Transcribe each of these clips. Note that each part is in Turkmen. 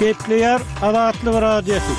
Gepleýär Azatlyk Radiosy.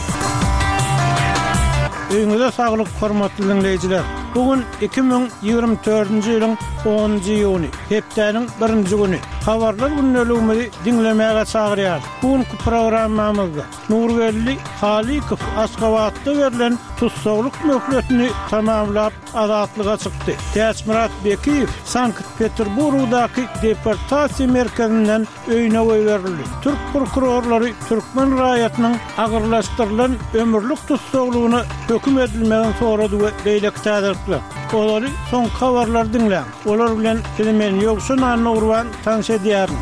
Öýüňize saglyk, hormatly diňleýjiler! Bu gün 2024-nji ýylyň onunjy iýuny, hepdäniň birinji güni. Habarlar gündeligimizi diňlemäge çagyrýarys. Bu günki programmamyzda Nurgeldi Halykow Aşgabatda berlen tussaglyk möhletini tamamlap, azatlyga çykdy. Täçmyrat Bekiýew Sankt-Peterburgdaky deportasiýa merkezinden öýüne goýberildi. Türk prokurorlary türkmen raýatynyň agyrlaşdyrylan ömürlik tussaglygyna höküm edilmegini sorady we beýleki täzelikler. Ozaly soňky habarlary diňläň. Olar bilen sizi men Ýowşan Annagurban tanyş edýärin.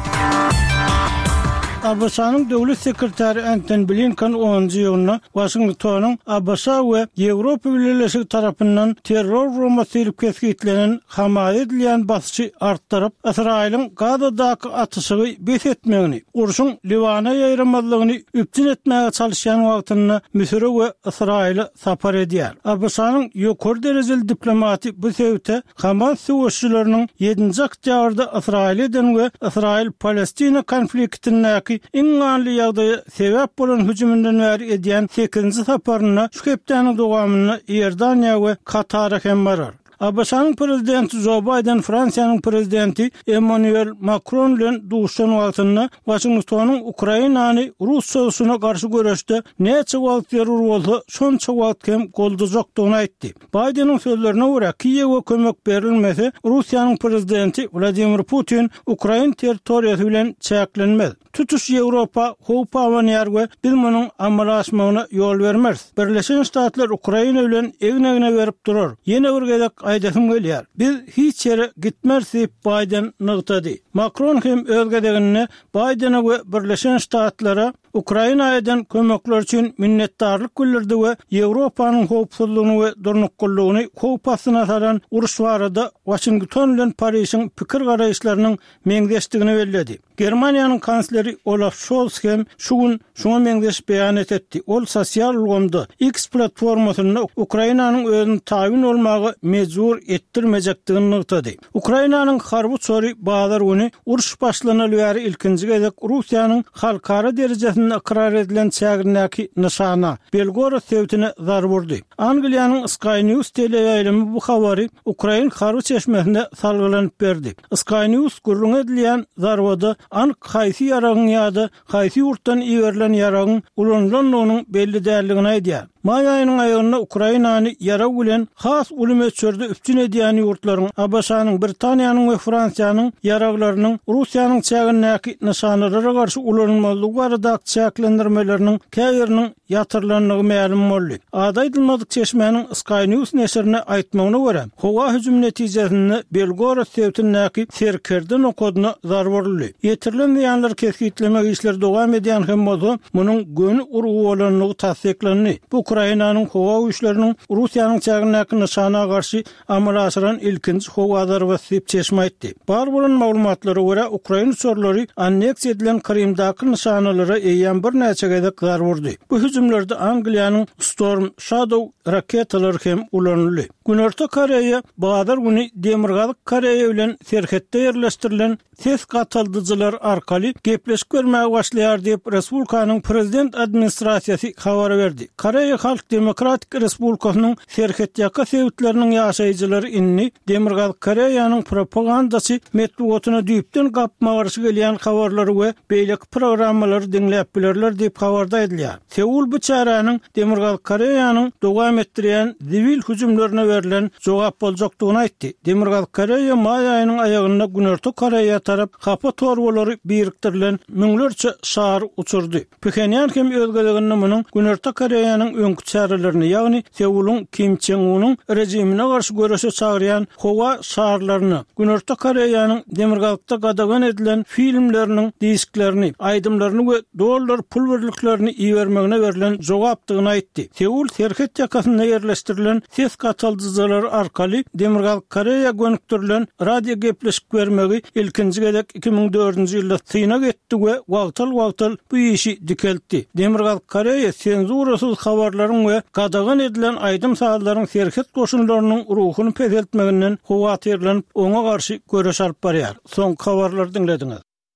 ABŞ-nyň Döwlet sekretary Entoni Blinken onunjy iýunda Waşingtonyň ABŞ we Ýewropa Bileleşigi tarapyndan terror guramasy diýlip kesgitlenen Hamasa edilýän basyşy artdyryp, Ysraýylyň Gazadaky atyşygy bes etmegini, urşuň Liwana ýaýramazlygyny üpjün etmäge çalyşýan wagtynda Müsüre we Ysraýyla sapar edýär. ABŞ-nyň ýokary derejeli diplomaty bu sebite Hamas söweşijileriniň ýedinji oktýabrda Ysraýyla eden we Ysraýyl-Palestina konfliktindäki iň ganly ýagdaýa sebäp bolan hüjüminden bäri edýän sekizinji saparynda şu hepdäniň dowamynda Iordaniýa we Katara hem barar. ABŞ-nyň prezidenti Jo Baýden Fransiýanyň prezidenti Emmanuel Makron bilen duşuşan wagtynda Waşingtonyň Ukrainany rus çozuşyna garşy göreşde näçe wagt zerur bolsa, şonça wagt hem goldajakdygyny aýtdy. Baýdeniň sözlerine görä, Kiýewe kömek berilmese, Russiýanyň prezidenti Wladimir Putin ukrain territoriýasy bilen çäklenmez. Tutuş Ýewropa howp abanýar we biz munuň amala aşmagyna ýol bermeris. Birleşen Ştatlar Ukraina bilen egin-egne berip durar. Ýene bir gezek aýdasym gelýär, biz hiç ýere gitmeris diýip, Baýden nygtady. Makron hem öz gezeginde Baýdene we Birleşen Ştatlara Ukraina eden kömekleri üçin minnetdarlyk bildirdi we Ýewropanyň howpsuzlygyny we durnuklylygyny howp astyna salan uruş barada Waşington bilen Parižiň pikir-garaýyşlarynyň meňzeşdigini belledi. Germaniýanyň kansleri Olaf Şolz hem şu gün şuňa meňzeş beýanat etdi. Ol sosial ulgamda, X platformasynda Ukrainanyň özüni tabyn bolmaga mejbur etdirmejekdigini nygtady. Ukrainanyň harby uçary bazar güni uruş başlanaly bäri ilkinji gezek Russiýanyň halkara derejesinde ykrar edilen çägindäki nyşana, Belgorod sebitine zarba urdy. Angliýanyň Sky News teleýaýlymy bu habary ukrain harby çeşmesine salgylanyp berdi. Sky News gürrüňi edilýän zarbada anyk haýsy ýaragyň ýa-da haýsy ýurtdan iberilen ýaragyň ulanylandygynyň belli däldigini aýdýar. Maý aýynyň aýagynda Ukrainany ýarag bilen has uly möçberde üpjün edýän ýurtlaryň, ABŞ-nyň, Britaniýanyň we Fransiýanyň ýaraglarynyň Russiýanyň çägindäki nyşanalara garşy ulanylmazlygy baradaky çäklendirmeleriniň käbiriniň ýatyrylandygy mälim boldy. Ady aýdylmadyk çeşmäniň Sky News neşirine aýtmagyna görä, howa hüjümi netijesinde Belgorod sebitindäki serkerde nokadyna zarba uruldy. Ýetirilen zyýanlary kesgitlemek işleri dowam edýän hem bolsa, munuň göni urgy bolandygy tassyklandy. Bu Ukrainanyň howa güýçleriniň Russiýanyň çägindäki nyşana garşy amala aşyran ilkinji howa zarbasy diýip, çeşme aýtdy. Bar bolan maglumatlara görä, ukrain uçarlary anneksiýa edilen Krymdaky nyşanalara eýýäm birnäçe gezek zarba urdy. Bu hüjümlerde Angliýanyň Storm Shadow raketalary hem ulanyldy. Günorta Koreýa bazar güni Demirgazyk Koreýa bilen serhetde ýerleşdirilen ses gataldyjylar arkaly gepleşik bermäge başlaýar diýip, respublikanyň prezident administrasiýasy habar berdi. Koreýa Halk Demokratik Respublikasynyň serhetýaka sebitleriniň ýaşaýjylary indi Demirgazyk Koreýanyň propagandaçy metbugatyna düýpden gapma-garşy gelýän habarlary we beýleki programmalary diňläp bilerler diýip, habarda aýdylýar. Seul bu çäräniň Demirgazyk Koreýanyň dowam etdirýän zibil hüjümlerine berlen jogap boljakdygyny aýtdy. Demirgazyk Koreýa maý aýynyň aýagynda Günorta Koreýa tarap hapa torbalary birikdirilen müňlerçe şar uçurdy. Phenýan hem öz gezeginde munuň Günorta Koreýanyň öňki çärelerini, ýagny Seulyň Kim Çen Unyň režimine garşy göreşe çagyrýan howa şarlaryny, Günorta Koreýanyň Demirgazykda gadagan edilen filmleriniň disklerini, aýdymlaryny we dollar pul birliklerini ibermegine berlen jogapdygyny aýtdy. Seul serhet ýakasynda ýerleşdirilen ses gataldyjylary arkaly Demirgazyk Koreýa gönükdirilen radio gepleşik bermegi ilkinji gezek 2004-nji ýylda synag etdi we wagtal-wagtal bu işi dikeltdi. Demirgazyk Koreýa senzurasyz habarlaryň we gadagan edilen aýdym-sazlaryň serhet goşunlarynyň ruhuny peseltmeginden howatyrlanyp, oňa garşy göreş alyp barýar. Soňky habarlary diňlediňiz.